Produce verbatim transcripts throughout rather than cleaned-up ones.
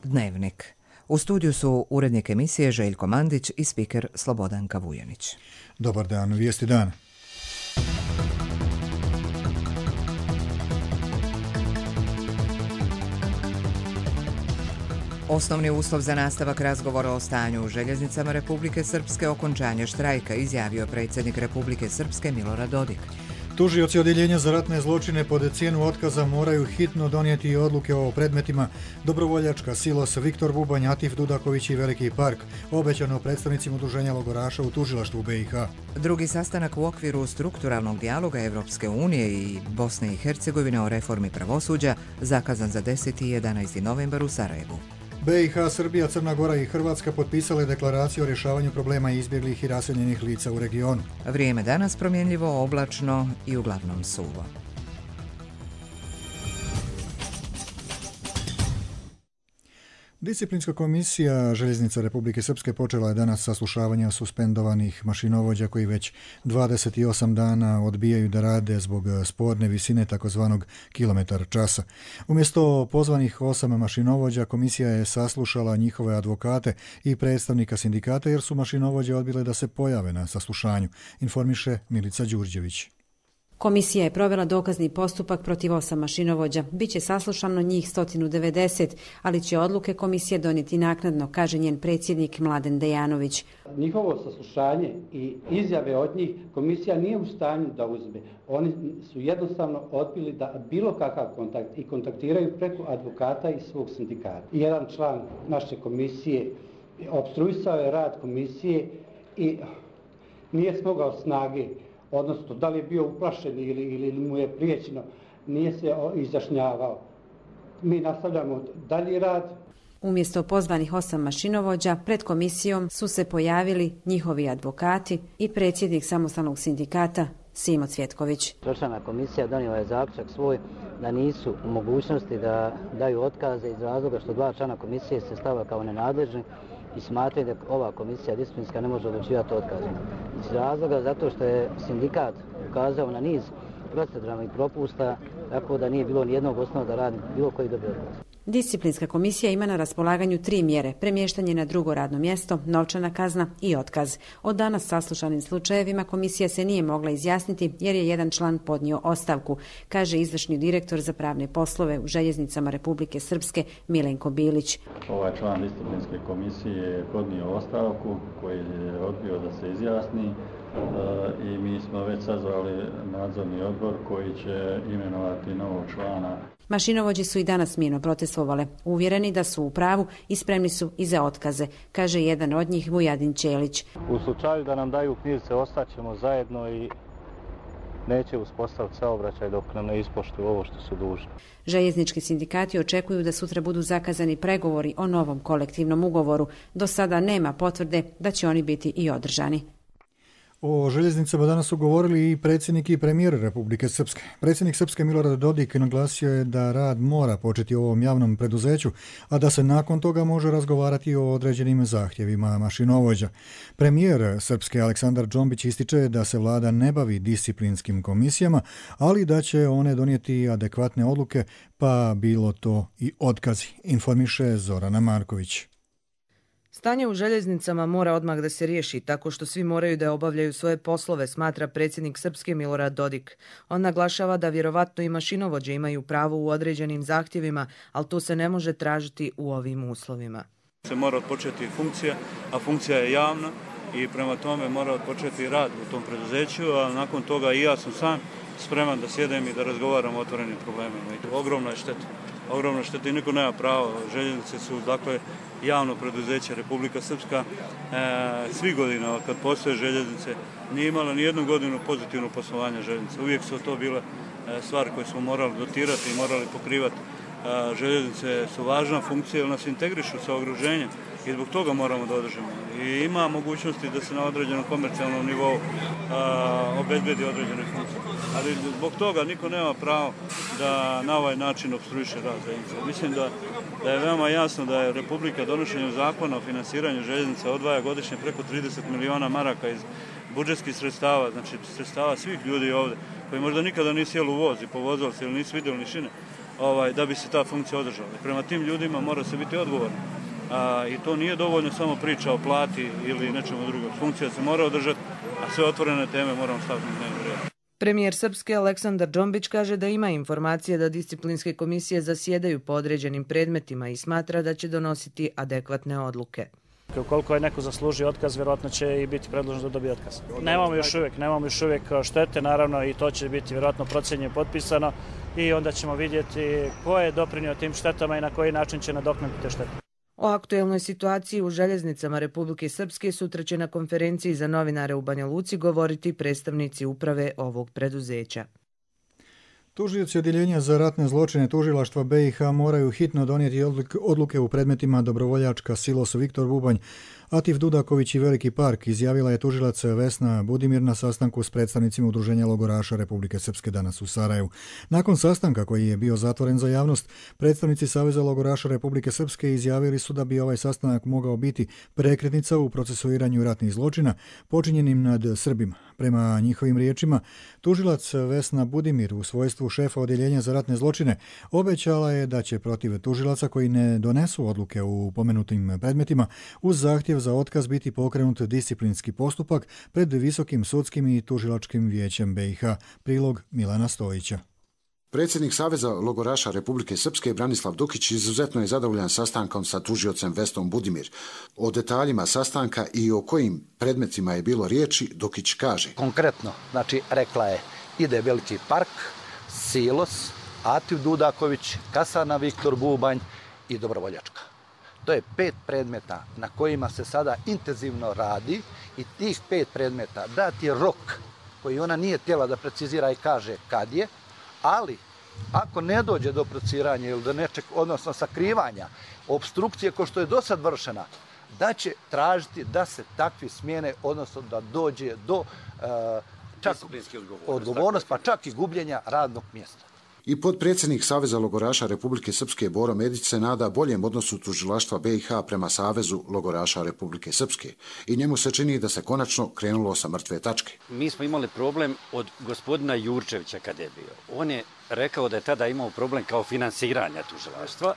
Dnevnik. U studiju su urednik emisije Željko Mandić i spiker Slobodanka Vujanić. Dobar dan, vijesti dana. Osnovni uslov za nastavak razgovora o stanju u željeznicama Republike Srpske okončanje štrajka, izjavio predsjednik Republike Srpske Milorad Dodik. Tužioci Odjeljenja za ratne zločine pod cijenu otkaza moraju hitno donijeti odluke o predmetima Dobrovoljačka, Silos, Viktor Bubanj, Atif Dudaković i Veliki park, obećano predstavnicima udruženja logoraša u tužilaštvu B i H. Drugi sastanak u okviru strukturalnog dijaloga Evropske unije i Bosne i Hercegovine o reformi pravosuđa zakazan za deseti i jedanaesti novembar u Sarajevu. B i H, Srbija, Crna Gora i Hrvatska potpisale deklaraciju o rješavanju problema izbjeglih i raseljenih lica u regionu. Vrijeme danas promjenljivo, oblačno i uglavnom suvo. Disciplinska komisija Željeznica Republike Srpske počela je danas saslušavanje suspendovanih mašinovođa koji već dvadeset osam dana odbijaju da rade zbog sporne visine takozvanog kilometar časa. Umjesto pozvanih osam mašinovođa, komisija je saslušala njihove advokate i predstavnika sindikata jer su mašinovođe odbile da se pojave na saslušanju, informiše Milica Đurđević. Komisija je provela dokazni postupak protiv osam mašinovođa. Biće saslušano njih sto devedeset, ali će odluke komisije donijeti naknadno, kaže njen predsjednik Mladen Dejanović. Njihovo saslušanje i izjave od njih komisija nije u stanju da uzme. Oni su jednostavno odbili da bilo kakav kontakt i kontaktiraju preko advokata i svog sindikata. Jedan član naše komisije opstruisao je rad komisije i nije smogao snage, odnosno da li je bio uplašen ili, ili mu je prijećeno, nije se izjašnjavao. Mi nastavljamo dalji rad. Umjesto pozvanih osam mašinovođa, pred komisijom su se pojavili njihovi advokati i predsjednik samostalnog sindikata Simo Cvjetković. Tročlana komisija donijela je zaključak svoj da nisu u mogućnosti da daju otkaze iz razloga što dva člana komisije se stava kao nenadležni i smatraju da ova komisija disciplinska ne može odlučivati o otkazima. Iz razloga zato što je sindikat ukazao na niz proceduralnih propusta, tako da nije bilo nijednog osnova da radi bilo koji dobio otkaz. Disciplinska komisija ima na raspolaganju tri mjere: premještanje na drugo radno mjesto, novčana kazna i otkaz. Od danas saslušanim slučajevima komisija se nije mogla izjasniti jer je jedan član podnio ostavku, kaže izvršni direktor za pravne poslove u Željeznicama Republike Srpske Milenko Bilić. Ovaj član disciplinske komisije je podnio ostavku koji je odbio da se izjasni i mi smo već sazvali nadzorni odbor koji će imenovati novog člana. Mašinovođi su i danas mirno protestovale, uvjereni da su u pravu i spremni su i za otkaze, kaže jedan od njih Vujadin Ćelić. U slučaju da nam daju knjižice, ostaćemo zajedno i neće uspostaviti saobraćaj dok nam ne ispoštuju ovo što su dužni. Željeznički sindikati očekuju da sutra budu zakazani pregovori o novom kolektivnom ugovoru. Do sada nema potvrde da će oni biti i održani. O željeznicama danas su govorili i predsjednik i premijer Republike Srpske. Predsjednik Srpske Milorad Dodik naglasio je da rad mora početi u ovom javnom preduzeću, a da se nakon toga može razgovarati o određenim zahtjevima mašinovođa. Premijer Srpske Aleksandar Džombić ističe da se vlada ne bavi disciplinskim komisijama, ali da će one donijeti adekvatne odluke, pa bilo to i otkazi, informiše Zorana Marković. Stanje u željeznicama mora odmah da se riješi tako što svi moraju da obavljaju svoje poslove, smatra predsjednik Srpske Milorad Dodik. On naglašava da vjerovatno i mašinovođe imaju pravo u određenim zahtjevima, ali to se ne može tražiti u ovim uslovima. Se mora odpočeti funkcija, a funkcija je javna i prema tome mora odpočeti rad u tom preduzeću, a nakon toga i ja sam sam spreman da sjedem i da razgovaram o otvorenim problemima. Ogromna je šteta. Ogromna šteta i niko nema pravo. Željeznice su, dakle, javno preduzeće. Republika Srpska e, svi godina kad postoje željeznice nije imala ni jednu godinu pozitivno poslovanje željeznice. Uvijek su to bile e, stvari koje smo morali dotirati i morali pokrivati. E, željeznice su važna funkcija jer nas integrišu sa okruženjem i zbog toga moramo da održimo. I ima mogućnosti da se na određenom komercijalnom nivou a, obezbedi određene funkcije. Ali zbog toga niko nema pravo da na ovaj način opstruiše rad željeznice. Mislim da, da je veoma jasno da je Republika donošenjem zakona o finansiranju željeznica odvaja godišnje preko trideset miliona maraka iz budžetskih sredstava, znači sredstava svih ljudi ovdje, koji možda nikada nisu jeli u voz i povozali se ili nisu vidjeli ni šine, ovaj, da bi se ta funkcija održala. Prema tim ljudima mora se biti odgovorno. A, I to nije dovoljno samo priča o plati ili nečemu drugom. Funkcija se mora održati, a sve otvorene teme moramo staviti na dnevni red. Premijer Srpske Aleksandar Džombić kaže da ima informacije da disciplinske komisije zasjedaju po određenim predmetima i smatra da će donositi adekvatne odluke. Ukoliko je neko zaslužio otkaz, vjerojatno će i biti predložen da dobije otkaz. Nemamo još uvijek, nemamo još uvijek štete, naravno, i to će biti vjerojatno procenjeno i potpisano i onda ćemo vidjeti ko je doprinio tim štetama i na koji način će nadoknaditi te štete. O aktuelnoj situaciji u željeznicama Republike Srpske sutra će na konferenciji za novinare u Banja Luci govoriti predstavnici uprave ovog preduzeća. Tužioci odjeljenja za ratne zločine tužilaštva B i H moraju hitno donijeti odluke u predmetima Dobrovoljačka, Silos, Viktor Bubanj, Atif Dudaković i Veliki park, izjavila je tužilac Vesna Budimir na sastanku s predstavnicima Udruženja logoraša Republike Srpske danas u Sarajevu. Nakon sastanka koji je bio zatvoren za javnost, predstavnici Saveza logoraša Republike Srpske izjavili su da bi ovaj sastanak mogao biti prekretnica u procesuiranju ratnih zločina počinjenim nad Srbima. Prema njihovim riječima, tužilac Vesna Budimir u svojstvu šefa odjeljenja za ratne zločine obećala je da će protiv tužilaca koji ne donesu odluke u pomenutim predmetima uz zahtjev za otkaz biti pokrenut disciplinski postupak pred Visokim sudskim i tužilačkim vijećem B i H. Prilog Milana Stojića. Predsjednik Saveza logoraša Republike Srpske Branislav Dukić izuzetno je zadovoljan sastankom sa tužiocem Vesnom Budimir. O detaljima sastanka i o kojim predmetima je bilo riječi Dukić kaže. Konkretno, znači rekla je ide Veliki park, Silos, Atif Dudaković, Kasana Viktor Bubanj i Dobrovoljačka. To je pet predmeta na kojima se sada intenzivno radi i tih pet predmeta dat je rok koji ona nije htjela da precizira i kaže kad je, ali ako ne dođe do prociranja ili do nečeg, odnosno sakrivanja, obstrukcije ko što je do sad vršena, da će tražiti da se takvi smjene, odnosno da dođe do uh, čak odgovornost, pa čak i gubljenja radnog mjesta. I potpredsjednik Saveza logoraša Republike Srpske Boro Medić se nada boljem odnosu tužilaštva B i H prema Savezu logoraša Republike Srpske i njemu se čini da se konačno krenulo sa mrtve tačke. Mi smo imali problem od gospodina Jurčevića kada je bio. On je rekao da je tada imao problem kao finansiranja tužilaštva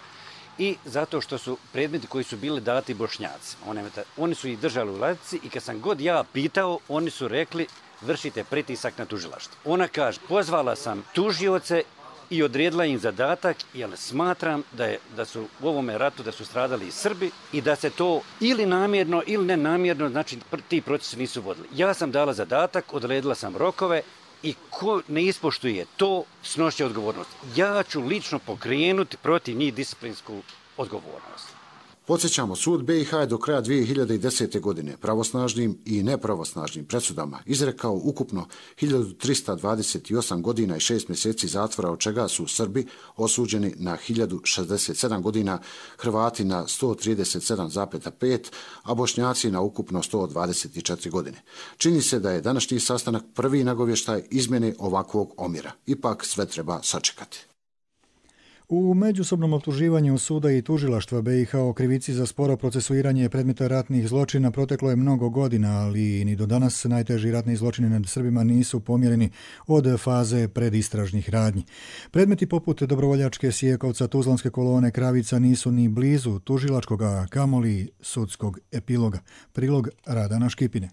i zato što su predmeti koji su bili dati Bošnjacima. Oni su ih držali u ladici i kad sam god ja pitao, oni su rekli vršite pritisak na tužilaštvo. Ona kaže, pozvala sam tužioce i odredila im zadatak, jer smatram da, je, da su u ovome ratu da su stradali i Srbi i da se to ili namjerno ili nenamjerno, znači ti procesi nisu vodili. Ja sam dala zadatak, odredila sam rokove i ko ne ispoštuje to, snošće odgovornost. Ja ću lično pokrenuti protiv njih disciplinsku odgovornost. Podsjećamo, sud B i H je do kraja dvije hiljade desete. godine pravosnažnim i nepravosnažnim presudama izrekao ukupno hiljadu trista dvadeset osam godina i šest mjeseci zatvora, od čega su Srbi osuđeni na hiljadu šezdeset sedam godina, Hrvati na sto trideset sedam zarez pet, a Bošnjaci na ukupno sto dvadeset četiri godine. Čini se da je današnji sastanak prvi nagovještaj izmjene ovakvog omjera. Ipak sve treba sačekati. U međusobnom optuživanju suda i tužilaštva B i H o krivici za sporo procesuiranje predmeta ratnih zločina proteklo je mnogo godina, ali ni do danas najteži ratni zločini nad Srbima nisu pomjereni od faze predistražnih radnji. Predmeti poput Dobrovoljačke, Sijekovca, Tuzlanske kolone, Kravica nisu ni blizu tužilačkoga, kamoli sudskog epiloga. Prilog Radana Škipine.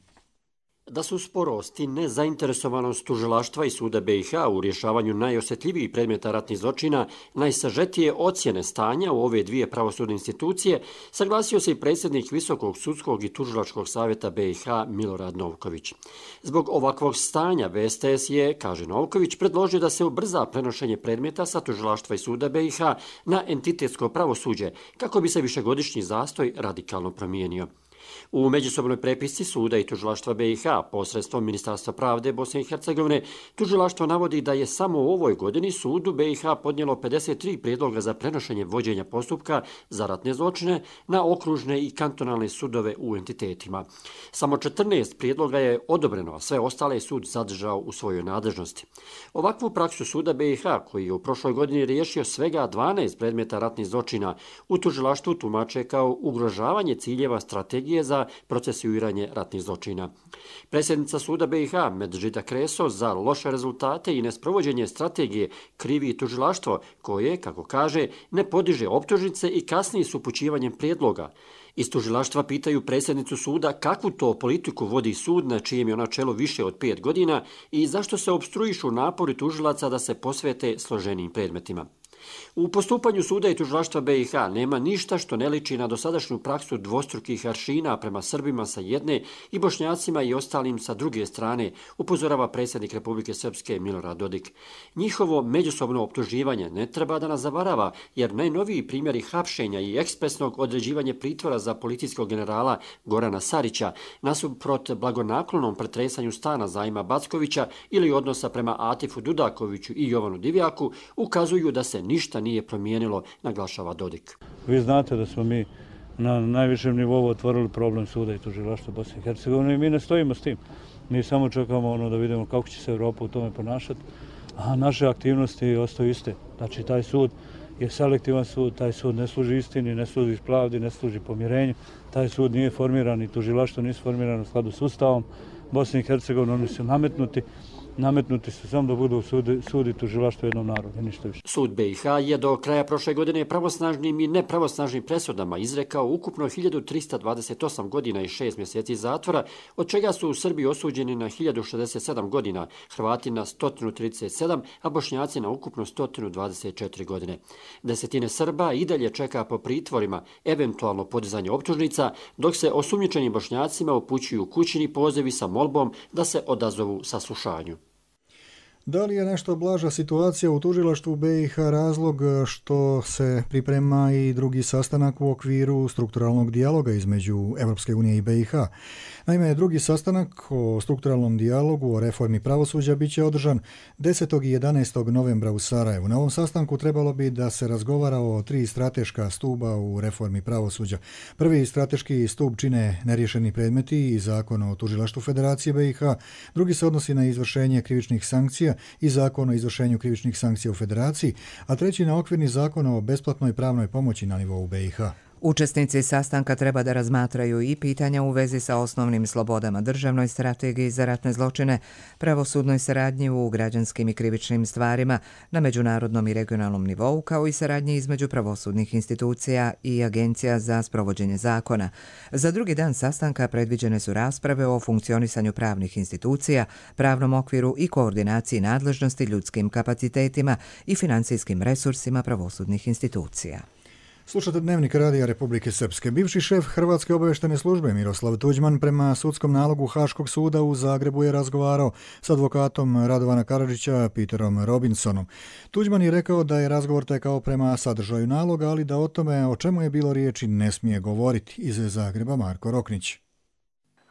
Da su sporost i nezainteresovanost tužilaštva i suda B i H u rješavanju najosjetljivijih predmeta ratnih zločina najsažetije ocjene stanja u ove dvije pravosudne institucije, saglasio se i predsjednik Visokog sudskog i tužilačkog savjeta B i H Milorad Novković. Zbog ovakvog stanja V S T S je, kaže Novković, predložio da se ubrza prenošenje predmeta sa tužilaštva i suda B i H na entitetsko pravosuđe, kako bi se višegodišnji zastoj radikalno promijenio. U međusobnoj prepisci suda i tužilaštva B i H posredstvom Ministarstva pravde Bosne i Hercegovine, tužilaštvo navodi da je samo u ovoj godini sudu B i H podnijelo pedeset tri prijedloga za prenošenje vođenja postupka za ratne zločine na okružne i kantonalne sudove u entitetima. Samo četrnaest prijedloga je odobreno, a sve ostale je sud zadržao u svojoj nadležnosti. Ovakvu praksu suda B i H, koji je u prošloj godini riješio svega dvanaest predmeta ratnih zločina, u tužilaštvu tumače kao ugrožavanje ciljeva strategije strategije za procesuiranje ratnih zločina. Predsjednica suda B i H Medžida Kreso za loše rezultate i nesprovođenje strategije krivi tužilaštvo koje, kako kaže, ne podiže optužnice i kasnije s upućivanjem prijedloga. Iz tužilaštva pitaju predsjednicu suda kakvu to politiku vodi sud na čijem je ona čelu više od pet godina i zašto se opstruišu napori tužilaca da se posvete složenijim predmetima. U postupanju suda i tužilaštva B i H nema ništa što ne liči na dosadašnju praksu dvostrukih aršina prema Srbima sa jedne i Bošnjacima i ostalim sa druge strane, upozorava predsjednik Republike Srpske Milorad Dodik. Njihovo međusobno optuživanje ne treba da nas zavarava, jer najnoviji primjeri hapšenja i ekspresnog određivanja pritvora za policijskog generala Gorana Sarića nasuprot blagonaklonom pretresanju stana Zajma Backovića ili odnosa prema Atifu Dudakoviću i Jovanu Divjaku ukazuju da se ništa nije promijenilo, naglašava Dodik. Vi znate da smo mi na najvišem nivou otvorili problem suda i tužilaštva Bosne i Hercegovine i mi ne stojimo s tim. Mi samo čekamo ono da vidimo kako će se Evropa u tome ponašati, a naše aktivnosti ostaju iste. Znači, taj sud je selektivan sud, taj sud ne služi istini, ne služi pravdi, ne služi pomirenju, taj sud nije formiran i tužilaštvo nije formirano u skladu s Ustavom Bosne i Hercegovine, oni su nametnuti. Nametnuti su samo da budu sudi, sudi tužilaštvo jednom narodu, ništa više. Sud B i H je do kraja prošle godine pravosnažnim i nepravosnažnim presudama izrekao ukupno hiljadu trista dvadeset osam godina i šest mjeseci zatvora, od čega su u Srbiji osuđeni na hiljadu šezdeset sedam godina, Hrvati na sto trideset sedam, a Bošnjaci na ukupno sto dvadeset četiri godine. Desetine Srba i dalje čeka po pritvorima eventualno podizanje optužnica, dok se osumnjičenim Bošnjacima upućuju kućni pozivi sa molbom da se odazovu saslušanju. Da li je nešto blaža situacija u tužilaštvu B i H razlog što se priprema i drugi sastanak u okviru strukturalnog dijaloga između Europske unije i B i H? Naime, drugi sastanak o strukturalnom dijalogu o reformi pravosuđa bit će održan desetog i jedanaestog novembra u Sarajevu. Na ovom sastanku trebalo bi da se razgovara o tri strateška stuba u reformi pravosuđa. Prvi strateški stup čine neriješeni predmeti i zakon o tužilaštvu Federacije B i H, drugi se odnosi na izvršenje krivičnih sankcija i zakon o izvršenju krivičnih sankcija u Federaciji, a treći na okvirni zakon o besplatnoj pravnoj pomoći na nivou B i H. Učesnici sastanka treba da razmatraju i pitanja u vezi sa osnovnim slobodama, državnoj strategiji za ratne zločine, pravosudnoj saradnji u građanskim i krivičnim stvarima na međunarodnom i regionalnom nivou, kao i saradnji između pravosudnih institucija i agencija za sprovođenje zakona. Za drugi dan sastanka predviđene su rasprave o funkcionisanju pravnih institucija, pravnom okviru i koordinaciji nadležnosti ljudskim kapacitetima i financijskim resursima pravosudnih institucija. Slušate Dnevnik Radija Republike Srpske. Bivši šef Hrvatske obavještajne službe Miroslav Tuđman prema sudskom nalogu Haškog suda u Zagrebu je razgovarao s advokatom Radovana Karadžića Peterom Robinsonom. Tuđman je rekao da je razgovor tekao prema sadržaju naloga, ali da o tome o čemu je bilo riječi ne smije govoriti. Iz Zagreba Marko Roknić.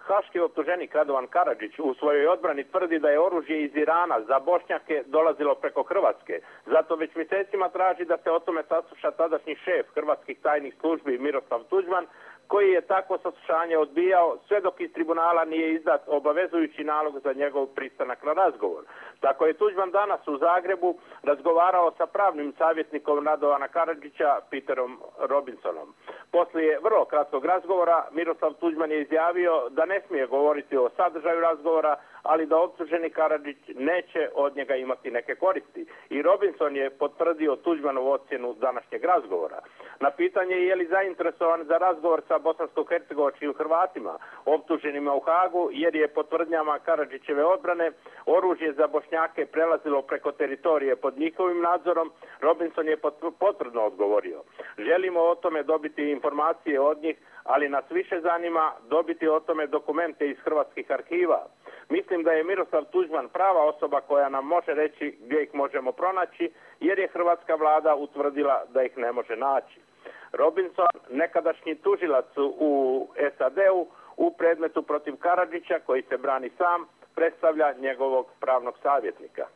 Haški optuženik Radovan Karadžić u svojoj odbrani tvrdi da je oružje iz Irana za Bošnjake dolazilo preko Hrvatske. Zato već mjesecima traži da se o tome sasluša tadašnji šef hrvatskih tajnih službi Miroslav Tuđman, koji je takvo saslušanje odbijao sve dok iz tribunala nije izdat obavezujući nalog za njegov pristanak na razgovor. Tako je Tuđman danas u Zagrebu razgovarao sa pravnim savjetnikom Radovana Karadžića Peterom Robinsonom. Poslije vrlo kratkog razgovora Miroslav Tuđman je izjavio da ne smije govoriti o sadržaju razgovora, ali da optuženi Karadžić neće od njega imati neke koristi. I Robinson je potvrdio Tuđmanovu ocjenu današnjeg razgovora. Na pitanje je li zainteresovan za razgovor sa bosansko-hercegovačkim Hrvatima optuženima u Hagu, jer je po tvrdnjama Karadžićeve odbrane oružje za Bošnjake prelazilo preko teritorije pod njihovim nadzorom, Robinson je potvrdno odgovorio: želimo o tome dobiti informacije od njih, ali nas više zanima dobiti o tome dokumente iz hrvatskih arhiva. Mislim da je Miroslav Tuđman prava osoba koja nam može reći gdje ih možemo pronaći, jer je hrvatska vlada utvrdila da ih ne može naći. Robinson, nekadašnji tužilac u S A D-u u predmetu protiv Karadžića, koji se brani sam, predstavlja njegovog pravnog savjetnika.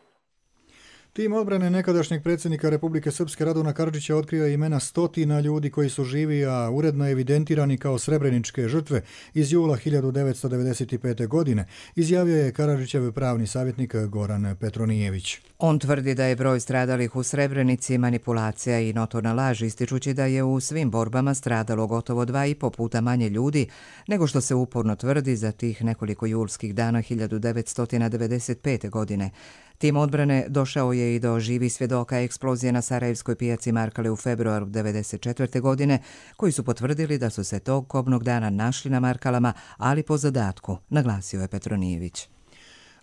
Tim odbrane nekadašnjeg predsjednika Republike Srpske Radovana Karadžića otkrio imena stotina ljudi koji su živi, a uredno evidentirani kao srebreničke žrtve iz jula hiljadu devetsto devedeset pete. godine, izjavio je Karadžićev pravni savjetnik Goran Petronijević. On tvrdi da je broj stradalih u Srebrenici manipulacija i notorna laž, ističući da je u svim borbama stradalo gotovo dva i po puta manje ljudi nego što se uporno tvrdi za tih nekoliko julskih dana hiljadu devetsto devedeset pete. godine. Tim odbrane došao je i do živih svjedoka eksplozije na Sarajevskoj pijaci Markale u februaru devedeset četvrte. godine, koji su potvrdili da su se tog kobnog dana našli na Markalama, ali po zadatku, naglasio je Petronijević.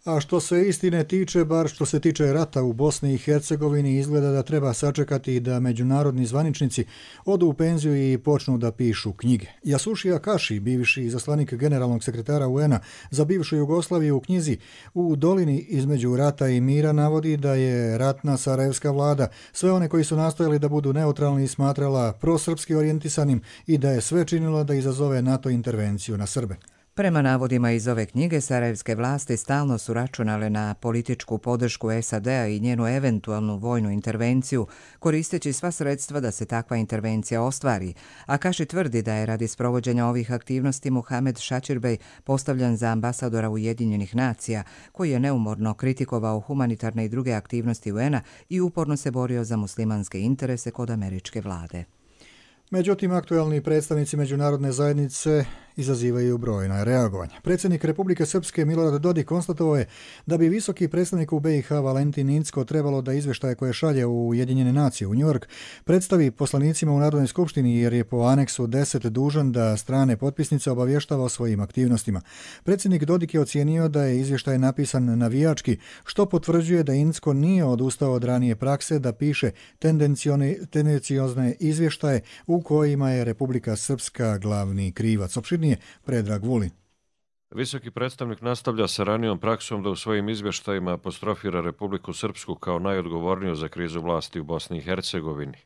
A što se istine tiče, bar što se tiče rata u Bosni i Hercegovini, izgleda da treba sačekati da međunarodni zvaničnici odu u penziju i počnu da pišu knjige. Jasušija Kaši, bivši izaslanik generalnog sekretara U N-a za bivšu Jugoslaviju, u knjizi U dolini između rata i mira navodi da je ratna sarajevska vlada sve one koji su nastojali da budu neutralni smatrala prosrpski orijentisanim i da je sve činila da izazove NATO intervenciju na Srbe. Prema navodima iz ove knjige, sarajevske vlasti stalno su računale na političku podršku S A D-a i njenu eventualnu vojnu intervenciju, koristeći sva sredstva da se takva intervencija ostvari, a Kaši tvrdi da je radi sprovođenja ovih aktivnosti Muhamed Šačirbej postavljan za ambasadora Ujedinjenih nacija, koji je neumorno kritikovao humanitarne i druge aktivnosti U N-a i uporno se borio za muslimanske interese kod američke vlade. Međutim, aktualni predstavnici međunarodne zajednice izazivaju brojna reagovanja. Predsjednik Republike Srpske Milorad Dodik konstatovao je da bi visoki predstavnik u B i H Valentin Incko trebalo da izveštaje koje šalje u Ujedinjene nacije u New York predstavi poslanicima u Narodnoj skupštini, jer je po aneksu deset dužan da strane potpisnice obavještava o svojim aktivnostima. Predsjednik Dodik je ocijenio da je izvještaj napisan navijački, što potvrđuje da Incko nije odustao od ranije prakse da piše tendenciozne izvještaje u kojima je Republika Srpska glavni krivac. Opširnije Predrag Vulin. Visoki predstavnik nastavlja sa ranijom praksom da u svojim izvještajima apostrofira Republiku Srpsku kao najodgovorniju za krizu vlasti u Bosni i Hercegovini.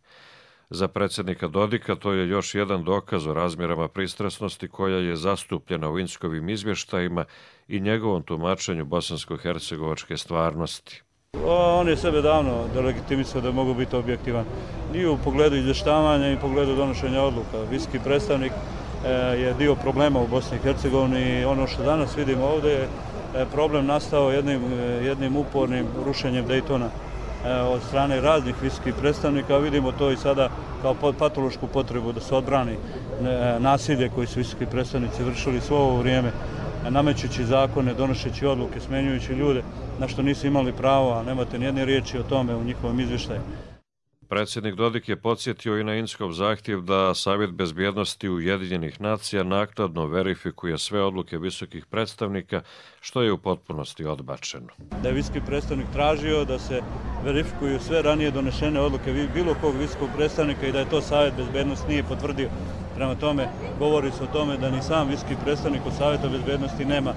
Za predsjednika Dodika to je još jedan dokaz o razmjerama pristrasnosti koja je zastupljena u Inckovim izvještajima i njegovom tumačenju bosansko-hercegovačke stvarnosti. On je sebe davno delegitimisao da mogu biti objektivan i u pogledu izvještavanja i u pogledu donošenja odluka. Visoki predstavnik je dio problema u Bosni i Hercegovini i ono što danas vidimo ovdje je problem nastao jednim, jednim upornim rušenjem Daytona od strane raznih visokih predstavnika. Vidimo to i sada kao patološku potrebu da se odbrani nasilje koji su visoki predstavnici vršili svo ovo vrijeme, namećući zakone, donošeći odluke, smenjujući ljude na što nisu imali pravo, a nemate nijedne riječi o tome u njihovom izvještaju. Predsjednik Dodik je podsjetio i na Inckov zahtjev da Savjet bezbjednosti Ujedinjenih nacija naknadno verifikuje sve odluke visokih predstavnika, što je u potpunosti odbačeno. Da je visoki predstavnik tražio da se verifikuju sve ranije donešene odluke bilo kog visokog predstavnika i da je to Savjet bezbjednosti nije potvrdio. Prema tome, govori se o tome da ni sam visoki predstavnik od Savjeta bezbjednosti nema e,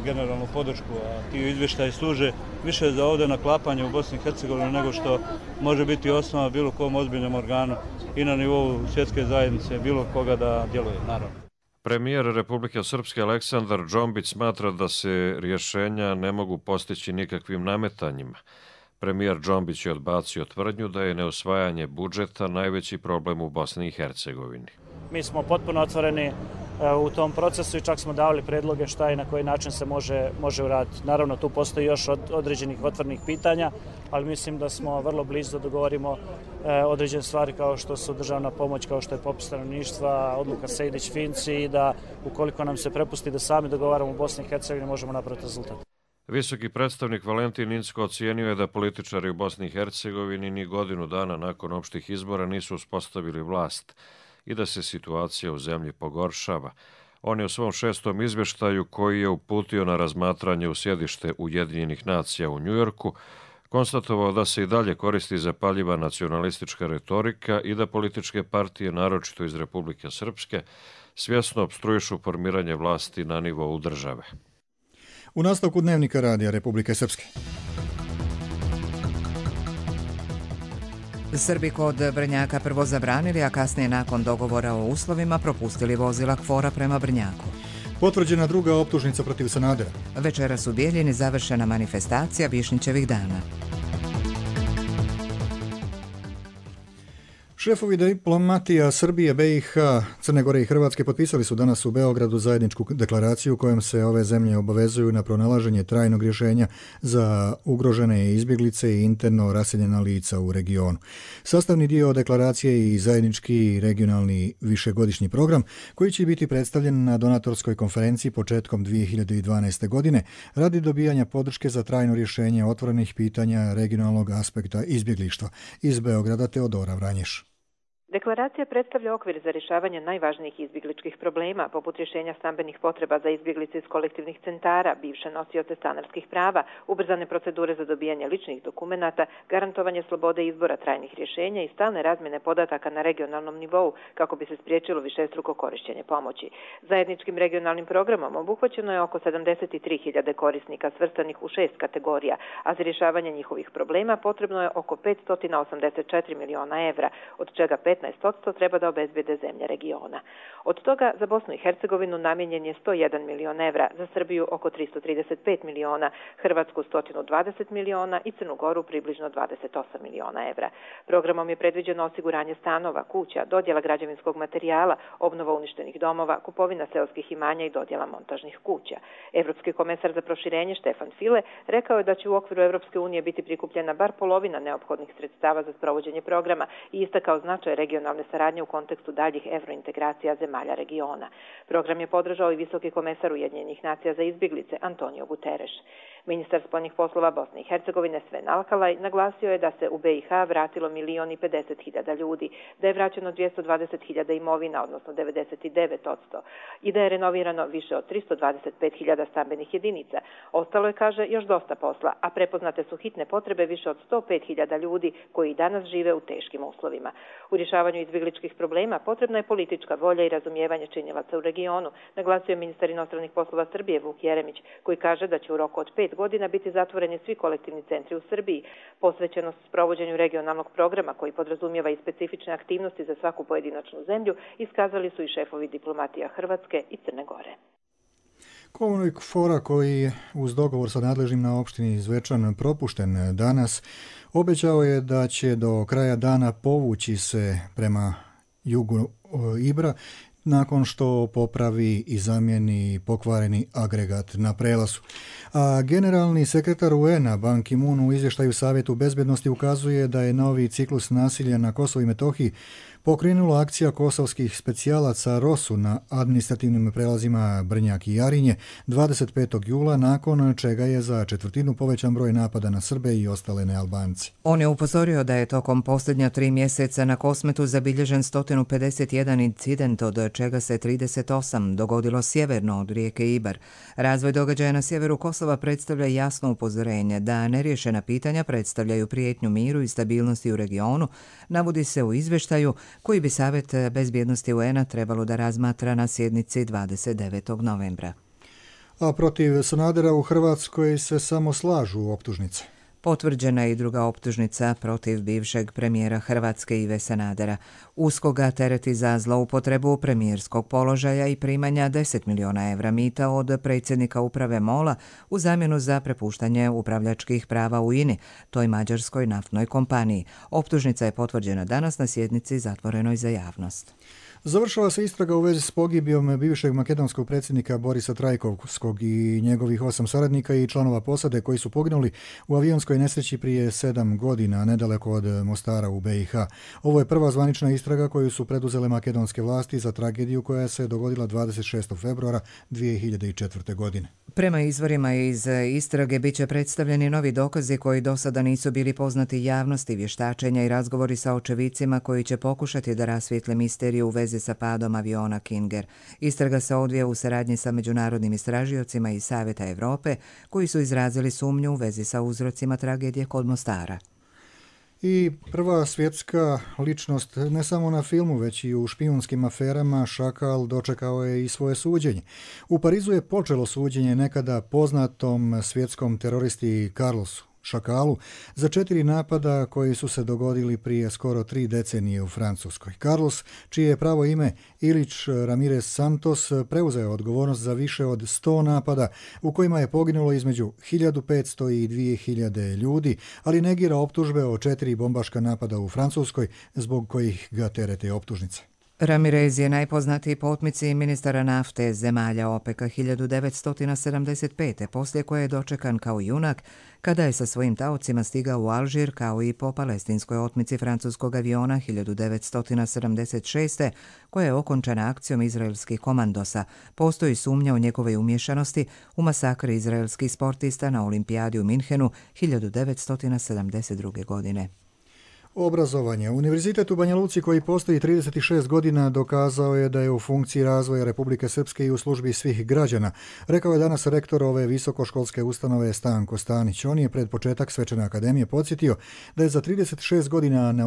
generalnu podršku, a ti izvještaji služe više za ovdje naklapanje u Bosni i Hercegovini nego što može biti osnova bilo kom ozbiljnom organu i na nivou svjetske zajednice bilo koga da djeluje, naravno. Premijer Republike Srpske Aleksandar Džombić smatra da se rješenja ne mogu postići nikakvim nametanjima. Premijer Džombić je odbacio tvrdnju da je neusvajanje budžeta najveći problem u Bosni i Hercegovini. Mi smo potpuno otvoreni u tom procesu i čak smo davali predloge šta i na koji način se može, može uraditi. Naravno, tu postoji još od, određenih otvornih pitanja, ali mislim da smo vrlo blizu da dogovorimo e, određene stvari kao što su državna pomoć, kao što je popis stanovništva, odluka Sejdić-Finci i da ukoliko nam se prepusti da sami dogovaramo u Bosni i Hercegovini možemo napraviti rezultat. Visoki predstavnik Valentin Incko ocijenio je da političari u Bosni i Hercegovini ni godinu dana nakon opštih izbora nisu uspostavili vlast i da se situacija u zemlji pogoršava. On je u svom šestom izvještaju, koji je uputio na razmatranje u sjedište Ujedinjenih nacija u Njujorku, konstatovao da se i dalje koristi zapaljiva nacionalistička retorika i da političke partije, naročito iz Republike Srpske, svjesno opstruišu formiranje vlasti na nivou države. U nastavku dnevnika Radija Republike Srpske. Srbi kod Brnjaka prvo zabranili, a kasnije nakon dogovora o uslovima propustili vozila KFOR-a prema Brnjaku. Potvrđena druga optužnica protiv Sanadera. Večeras u Bijeljini završena manifestacija Višnjićevih dana. Šefovi diplomatija Srbije, B i H, Crne Gore i Hrvatske potpisali su danas u Beogradu zajedničku deklaraciju kojom se ove zemlje obavezuju na pronalaženje trajnog rješenja za ugrožene izbjeglice i interno raseljena lica u regionu. Sastavni dio deklaracije je i zajednički regionalni višegodišnji program koji će biti predstavljen na donatorskoj konferenciji početkom dvije hiljade dvanaeste. godine radi dobijanja podrške za trajno rješenje otvorenih pitanja regionalnog aspekta izbjeglištva. Iz Beograda Teodora Vranješ. Deklaracija predstavlja okvir za rješavanje najvažnijih izbjegličkih problema, poput rješenja stambenih potreba za izbjeglice iz kolektivnih centara, bivše nosioce stanarskih prava, ubrzane procedure za dobijanje ličnih dokumenata, garantovanje slobode izbora trajnih rješenja i stalne razmjene podataka na regionalnom nivou kako bi se spriječilo višestruko korištenje pomoći. Zajedničkim regionalnim programom obuhvaćeno je oko sedamdeset tri hiljade korisnika svrstanih u šest kategorija, a za rješavanje njihovih problema potrebno je oko petsto osamdeset četiri miliona evra, od čega petnaest posto treba da obezbede zemlje regiona. Od toga za Bosnu i Hercegovinu namijenjen je sto jedan milion evra, za Srbiju oko tristo trideset pet miliona, Hrvatsku sto dvadeset miliona i Crnu Goru približno dvadeset osam miliona evra. Programom je predviđeno osiguranje stanova, kuća, dodjela građevinskog materijala, obnova uništenih domova, kupovina seoskih imanja i dodjela montažnih kuća. Evropski komesar za proširenje Štefan File rekao je da će u okviru Evropske unije biti prikupljena bar polovina neophodnih sredstava za sprovođenje programa i istakao značaj regionalne saradnje u kontekstu daljih evrointegracija zemalja regiona. Program je podržao i visoki komesar Ujedinjenih nacija za izbjeglice Antonio Guterres. Ministar spoljnih poslova Bosne i Hercegovine Sven Alkalaj naglasio je da se u B i H vratilo milion i pedeset hiljada ljudi, da je vraćeno dvjesto dvadeset hiljada imovina, odnosno devedeset devet posto, i da je renovirano više od tristo dvadeset pet hiljada stambenih jedinica. Ostalo je, kaže, još dosta posla, a prepoznate su hitne potrebe više od sto pet hiljada ljudi koji danas žive u teškim uslovima. U rješavanju izbjegličkih problema potrebna je politička volja i razumijevanje činjevaca u regionu, naglasio je ministar inostranih poslova Srbije Vuk Jeremić, koji kaže da će u roku od pet godina biti zatvoreni svi kolektivni centri u Srbiji. Posvećenost sprovođenju regionalnog programa koji podrazumijeva i specifične aktivnosti za svaku pojedinačnu zemlju iskazali su i šefovi diplomatija Hrvatske i Crne Gore. Komunik Fora, koji je uz dogovor sa nadležnim na opštini Zvečan propušten danas, obećao je da će do kraja dana povući se prema jugu Ibra nakon što popravi i zamijeni pokvareni agregat na prelazu. A generalni sekretar U N-a Ban Ki-moon u izvještaju Savjetu bezbjednosti ukazuje da je novi ciklus nasilja na Kosovu i Metohiji pokrenula akcija kosovskih specijalaca Rosu na administrativnim prelazima Brnjak i Jarinje dvadeset petog jula, nakon čega je za četvrtinu povećan broj napada na Srbe i ostale nealbanci. On je upozorio da je tokom posljednja tri mjeseca na Kosmetu zabilježen sto pedeset jedan incident, od čega se trideset osam dogodilo sjeverno od rijeke Ibar. Razvoj događaja na sjeveru Kosova predstavlja jasno upozorenje da neriješena pitanja predstavljaju prijetnju miru i stabilnosti u regionu, navodi se u izvještaju koji bi Savjet bezbjednosti U N-a trebalo da razmatra na sjednici dvadeset devetog novembra. A protiv Sanadera u Hrvatskoj se samo slažu optužnice. Potvrđena je i druga optužnica protiv bivšeg premijera Hrvatske Ive Sanadera. USKOK ga tereti za zloupotrebu premijerskog položaja i primanja deset miliona evra mita od predsjednika uprave MOL-a u zamjenu za prepuštanje upravljačkih prava u I N I, toj mađarskoj naftnoj kompaniji. Optužnica je potvrđena danas na sjednici zatvorenoj za javnost. Završava se istraga u vezi s pogibijom bivšeg makedonskog predsjednika Borisa Trajkovskog i njegovih osam saradnika i članova posade koji su poginuli u avionskoj nesreći prije sedam godina nedaleko od Mostara u B i H. Ovo je prva zvanična istraga koju su preduzele makedonske vlasti za tragediju koja se dogodila dvadeset šestog februara dvije hiljade četvrte. godine. Prema izvorima iz istrage bit će predstavljeni novi dokazi koji do sada nisu bili poznati javnosti, vještačenja i razgovori sa očevicima koji će pokušati da rasvijetle misteriju u vezi sa padom aviona Kinger. Istraga se odvija u saradnji sa međunarodnim istražiocima iz Savjeta Evrope koji su izrazili sumnju u vezi sa uzrocima tragedije kod Mostara. I prva svjetska ličnost ne samo na filmu, već i u špijunskim aferama, Šakal dočekao je i svoje suđenje. U Parizu je počelo suđenje nekada poznatom svjetskom teroristi Carlosu šakalu za četiri napada koji su se dogodili prije skoro tri decenije u Francuskoj. Carlos, čije je pravo ime Ilić Ramirez Santos, preuzeo odgovornost za više od sto napada u kojima je poginulo između hiljadu petsto i dvije hiljade ljudi, ali negira optužbe o četiri bombaška napada u Francuskoj zbog kojih ga terete optužnice. Ramirez je najpoznatiji po otmici ministara nafte zemalja OPEC-a hiljadu devetsto sedamdeset pete. poslije koje je dočekan kao junak kada je sa svojim taocima stigao u Alžir, kao i po palestinskoj otmici francuskog aviona hiljadu devetsto sedamdeset šeste. koja je okončana akcijom izraelskih komandosa. Postoji sumnja o njegovoj umješanosti u masakri izraelskih sportista na olimpijadi u Minhenu hiljadu devetsto sedamdeset druge. godine. Obrazovanje. Univerzitet u Banja Luci, koji postoji trideset šest godina, dokazao je da je u funkciji razvoja Republike Srpske i u službi svih građana, rekao je danas rektor ove visokoškolske ustanove Stanko Stanić. On je pred početak Svečane akademije podsjetio da je za trideset šest godina na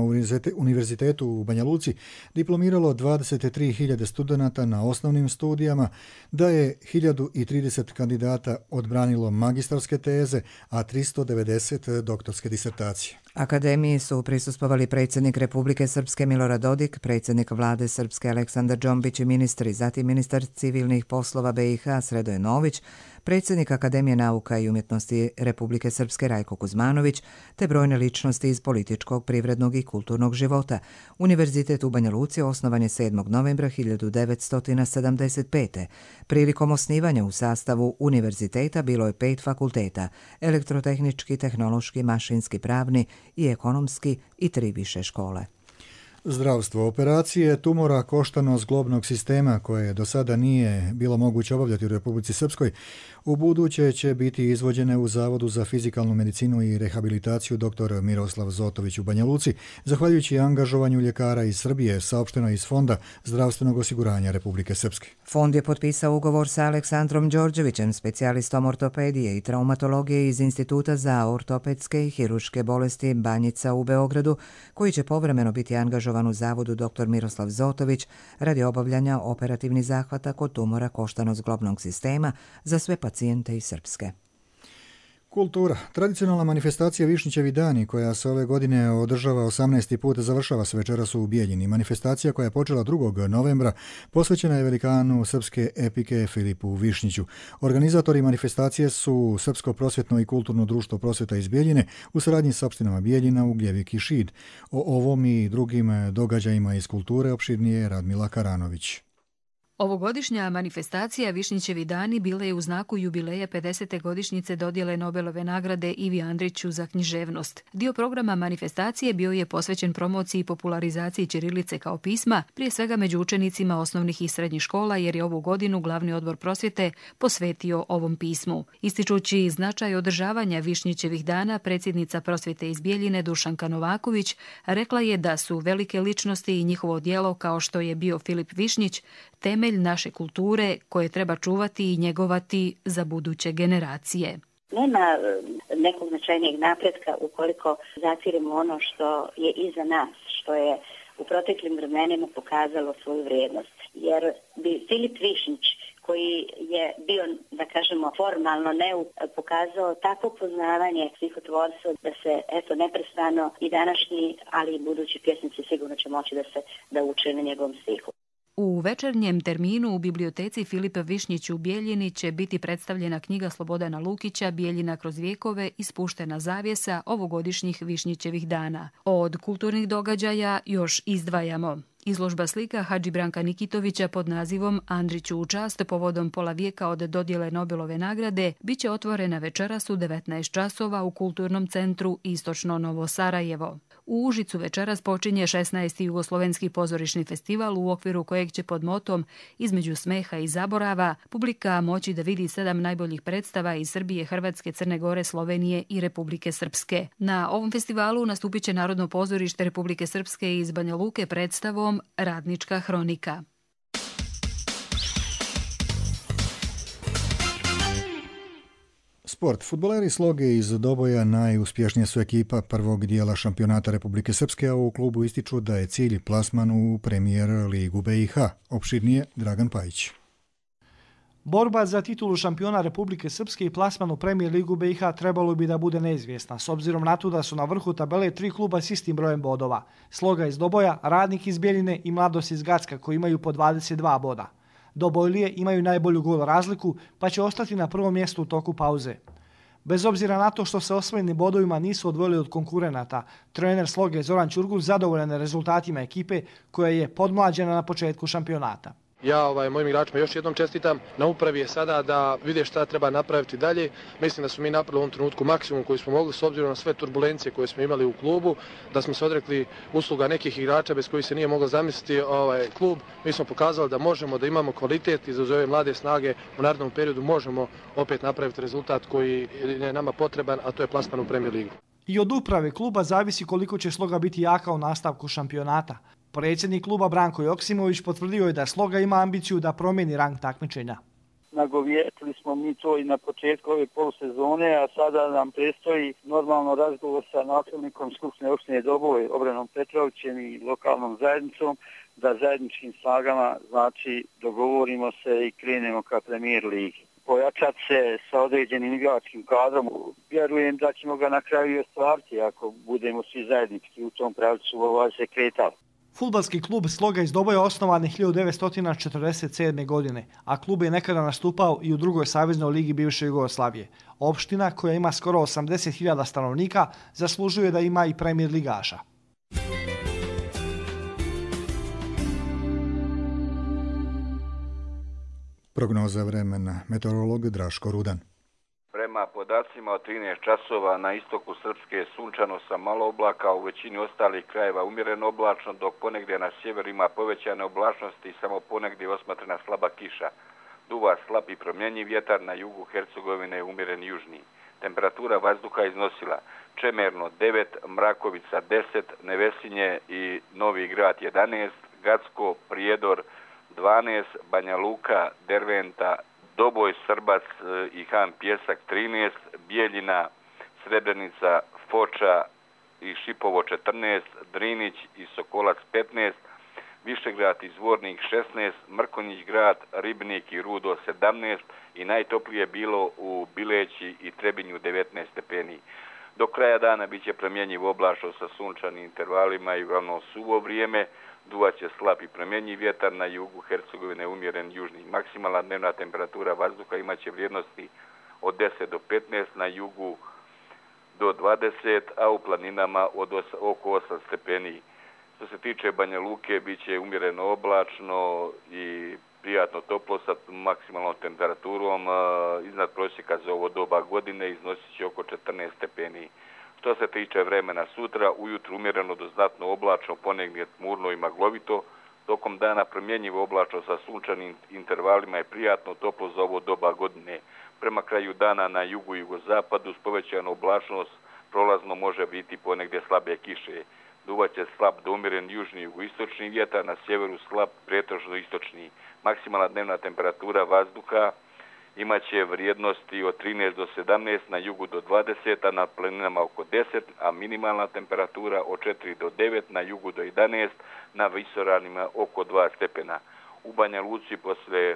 univerzitetu u Banja Luci diplomiralo dvadeset tri hiljade studenata na osnovnim studijama, da je hiljadu trideset kandidata odbranilo magistarske teze, a tristo devedeset doktorske disertacije. Akademiji su prisustvovali predsjednik Republike Srpske Milorad Dodik, predsjednik vlade Srpske Aleksandar Džombić i ministri, zatim ministar civilnih poslova B i H Sredoje Nović, predsjednik Akademije nauka i umjetnosti Republike Srpske Rajko Kuzmanović, te brojne ličnosti iz političkog, privrednog i kulturnog života. Univerzitet u Banja Luci osnovan je sedmog novembra hiljadu devetsto sedamdeset pete. Prilikom osnivanja u sastavu univerziteta bilo je pet fakulteta: elektrotehnički, tehnološki, mašinski, pravni i ekonomski i tri više škole. Zdravstvo. Operacije tumora koštano zglobnog sistema, koje do sada nije bilo moguće obavljati u Republici Srpskoj, u buduće će biti izvođene u Zavodu za fizikalnu medicinu i rehabilitaciju dr. Miroslav Zotović u Banja Luci, zahvaljujući angažovanju ljekara iz Srbije, saopšteno iz Fonda zdravstvenog osiguranja Republike Srpske. Fond je potpisao ugovor sa Aleksandrom Đorđevićem, specijalistom ortopedije i traumatologije iz Instituta za ortopedske i hiruške bolesti Banjica u Beogradu, koji će povremeno biti angažovan u Zavodu dr. Miroslav Zotović radi obavljanja operativnih zahvata kod tumora koštano-zglobnog sistema za sve pacijente iz Srpske. Kultura. Tradicionalna manifestacija Višnjićevi dani, koja se ove godine održava osamnaesti put, završava se večeras u Bijeljini. Manifestacija, koja je počela drugog novembra, posvećena je velikanu srpske epike Filipu Višnjiću. Organizatori manifestacije su Srpsko prosvjetno i kulturno društvo prosvjeta iz Bijeljine u saradnji s opštinama Bijeljina, Ugljevik i Šid. O ovom i drugim događajima iz kulture opširnije Radmila Karanović. Ovogodišnja manifestacija Višnjićevi dani bila je u znaku jubileja pedesete godišnjice dodjele Nobelove nagrade Ivi Andriću za književnost. Dio programa manifestacije bio je posvećen promociji i popularizaciji ćirilice kao pisma, prije svega među učenicima osnovnih i srednjih škola, jer je ovu godinu glavni odbor prosvjete posvetio ovom pismu. Ističući značaj održavanja Višnjićevih dana, predsjednica prosvjete iz Bijeljine Dušanka Novaković rekla je da su velike ličnosti i njihovo djelo, kao što je bio Filip Višnjić, temelj naše kulture koje treba čuvati i njegovati za buduće generacije. Nema nekog značajnijeg napretka ukoliko zatiremo ono što je iza nas, što je u proteklim vremenima pokazalo svoju vrijednost. Jer bi Filip Višnjić, koji je bio, da kažemo, formalno neuk, pokazao takvo poznavanje stihotvorstva da se, eto, neprestano i današnji, ali i budući pjesnici sigurno će moći da se da uče na njegovom stihu. U večernjem terminu u biblioteci Filipa Višnjić u Bijeljini će biti predstavljena knjiga Slobodana Lukića Bijeljina kroz vijekove i spuštena zavjesa ovogodišnjih Višnjićevih dana. Od kulturnih događaja još izdvajamo izložba slika Hadži Branka Nikitovića pod nazivom Andriću u čast povodom pola vijeka od dodjele Nobelove nagrade biće otvorena večeras u devetnaest časova u Kulturnom centru Istočno Novo Sarajevo. U Užicu večeras počinje šesnaesti Jugoslovenski pozorišni festival, u okviru kojeg će pod motom Između smeha i zaborava publika moći da vidi sedam najboljih predstava iz Srbije, Hrvatske, Crne Gore, Slovenije i Republike Srpske. Na ovom festivalu nastupit će Narodno pozorište Republike Srpske iz Banja Luke predstavom Radnička hronika. Sport. Fudbaleri Sloge iz Doboja najuspješnija su ekipa prvog dijela šampionata Republike Srpske, a u klubu ističu da je cilj plasman u Premier ligu B i H. Opširnije Dragan Pajić. Borba za titulu šampiona Republike Srpske i plasman u Premier ligu B i H trebalo bi da bude neizvjesna, s obzirom na to da su na vrhu tabele tri kluba s istim brojem bodova. Sloga iz Doboja, Radnik iz Bjeljine i Mladost iz Gacka koji imaju po dvadeset dva boda. Dobojlije imaju najbolju gol razliku pa će ostati na prvom mjestu u toku pauze. Bez obzira na to što se osvojeni bodovima nisu odvojili od konkurenata, trener Sloge Zoran Ćurgur zadovoljan je rezultatima ekipe koja je podmlađena na početku šampionata. Ja ovaj, mojim igračima još jednom čestitam. Na upravi je sada da vide šta treba napraviti dalje. Mislim da smo mi napravili u ovom trenutku maksimum koji smo mogli s obzirom na sve turbulencije koje smo imali u klubu, da smo se odrekli usluga nekih igrača bez kojih se nije moglo zamisliti ovaj klub. Mi smo pokazali da možemo, da imamo kvalitet i za ove mlade snage u narednom periodu možemo opet napraviti rezultat koji je nama potreban, a to je plasman u Premier ligu. I od uprave kluba zavisi koliko će Sloga biti jaka u nastavku šampionata. Predsjednik kluba Branko Joksimović potvrdio je da Sloga ima ambiciju da promijeni rang takmičenja. Nagovjetili smo mi to i na početku ove polusezone, a sada nam predstoji normalno razgovor sa načelnikom Skupštine opštine Doboj, Obranom Petrovićem i lokalnom zajednicom, da zajedničkim snagama znači dogovorimo se i krenemo ka Premier ligi. Pojačati se sa određenim igračkim kadrom, vjerujem da ćemo ga na kraju i ostvariti ako budemo svi zajednički u tom pravcu ovaj se kretali. Fudbalski klub Sloga iz Doboja osnovan je hiljadu devetsto četrdeset sedme. godine, a klub je nekada nastupao i u drugoj saveznoj ligi bivše Jugoslavije. Opština, koja ima skoro osamdeset hiljada stanovnika, zaslužuje da ima i Premier ligaša. Prognoza vremena, meteorolog Draško Rudan. Prema podacima od trinaest časova na istoku Srpske sunčano sa malo oblaka, u većini ostalih krajeva umjereno oblačno, dok ponegdje na sjeveru ima povećane oblačnosti i samo ponegdje osmatrana slaba kiša. Duva slab i promjenjiv vjetar, na jugu Hercegovine je umjeren južni. Temperatura vazduha iznosila Čemerno devet, Mrakovica deset, Nevesinje i Novi Grad jedanaest, Gacko, Prijedor dvanaest, Banja Luka, Derventa, Doboj, Srbac i Han Pjesak trinaest, Bijeljina, Srebrenica, Foča i Šipovo četrnaest, Drinić i Sokolac petnaest, Višegrad i Zvornik šesnaest, Mrkonjić grad, Ribnik i Rudo sedamnaest i najtoplije bilo u Bileći i Trebinju devetnaest stepeni. Do kraja dana bit će promjenjiv oblačno sa sunčanim intervalima i uglavnom suvo vrijeme. Duvaće slab i promjenjiv vjetar, na jugu Hercegovine umjeren južni. Maksimalna dnevna temperatura vazduha imaće vrijednosti od deset do petnaest, na jugu do dvadeset, a u planinama od oko osam stepeni. Što se tiče Banja Luke, bit će umjereno oblačno i prijatno toplo sa maksimalnom temperaturom iznad prosjeka za ovo doba godine, iznosit će oko četrnaest stepeni. Što se tiče vremena sutra, ujutru umjereno do znatno oblačno, ponegdje tmurno i maglovito, tokom dana promjenjivo oblačno sa sunčanim intervalima i prijatno toplo za ovo doba godine. Prema kraju dana na jugu i jugozapadu s povećanom oblačnost prolazno može biti ponegdje slabe kiše. Duvaće slab do umjeren južni jugoistočni vjetar, na sjeveru slab pretežno istočni. Maksimalna dnevna temperatura vazduha imaće vrijednosti od trinaest do sedamnaest, na jugu do dvadeset, a na planinama oko deset, a minimalna temperatura od četiri do devet, na jugu do jedanaest, na visoravnima oko dva stepena. U Banja Luci posle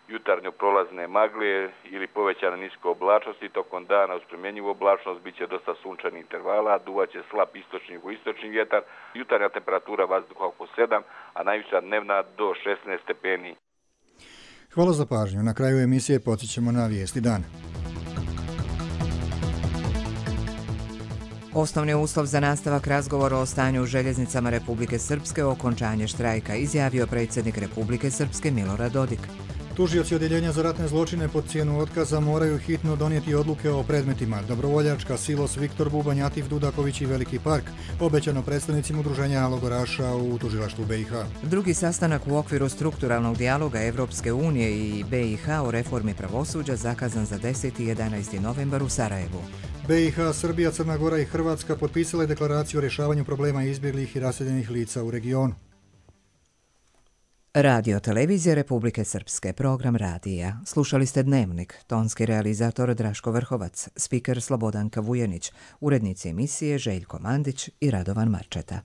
jutarnjo prolazne magle ili povećane nisko oblačnosti, tokom dana uz promjenjivu oblačnost bit će dosta sunčanih intervala, duvaće slab istočni jugoistočni vjetar, jutarnja temperatura vazduha oko sedam, a najviša dnevna do šesnaest stepeni. Hvala za pažnju. Na kraju emisije podsjećamo na vijesti dana. Osnovni uslov za nastavak razgovora o stanju u željeznicama Republike Srpske o okončanje štrajka izjavio predsjednik Republike Srpske Milorad Dodik. Tužioci Odjeljenja za ratne zločine pod cijenu otkaza moraju hitno donijeti odluke o predmetima Dobrovoljačka, Silos, Viktor Bubanj, Atif Dudaković i Veliki park, obećano predstavnicima udruženja logoraša u tužilaštvu B i H. Drugi sastanak u okviru strukturalnog dijaloga Evropske unije i B i H o reformi pravosuđa zakazan za deseti i jedanaesti novembar u Sarajevu. B i H, Srbija, Crna Gora i Hrvatska potpisale deklaraciju o rješavanju problema izbjeglih i raseljenih lica u regionu. Radio Televizija Republike Srpske, program radija. Slušali ste Dnevnik, tonski realizator Draško Vrhovac, spiker Slobodanka Vujenić, urednici emisije Željko Mandić i Radovan Marčeta.